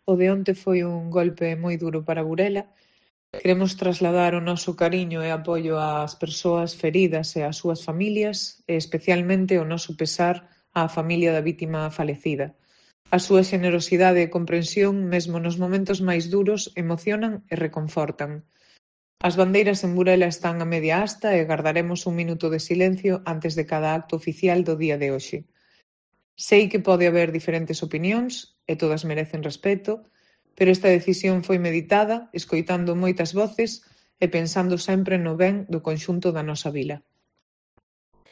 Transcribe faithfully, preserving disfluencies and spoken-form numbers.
o de onte foi un golpe moi duro para Burela. Queremos trasladar o noso cariño e apoio ás persoas feridas e ás súas familias e especialmente o noso pesar á familia da vítima falecida. A súa xenerosidade e comprensión, mesmo nos momentos máis duros, emocionan e reconfortan. As bandeiras en Burela están a media asta e gardaremos un minuto de silencio antes de cada acto oficial do día de hoxe. Sei que pode haber diferentes opinións e todas merecen respeto, pero esta decisión foi meditada, escoitando moitas voces e pensando sempre no ben do conxunto da nosa vila.